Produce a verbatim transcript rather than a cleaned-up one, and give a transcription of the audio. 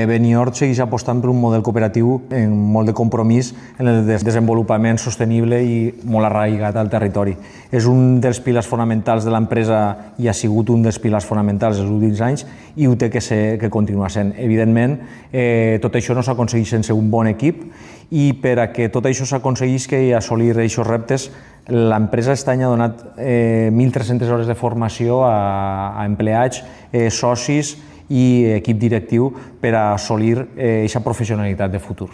Beniort segueix apostant per un model cooperatiu amb molt de compromís en el desenvolupament sostenible i molt arraigat al territori. És un dels pilars fonamentals de l'empresa i ha sigut un dels pilars fonamentals els últims anys i ho té que ser, que continua sent. Evidentment, eh, tot això no s'aconsegueix sense un bon equip i per a que tot això s'aconseguisca i assolir aquests reptes, l'empresa aquest any ha donat eh, mil tres-centes hores de formació a, a empleats, eh, socis i equip directiu per a assolir aquesta professionalitat de futur.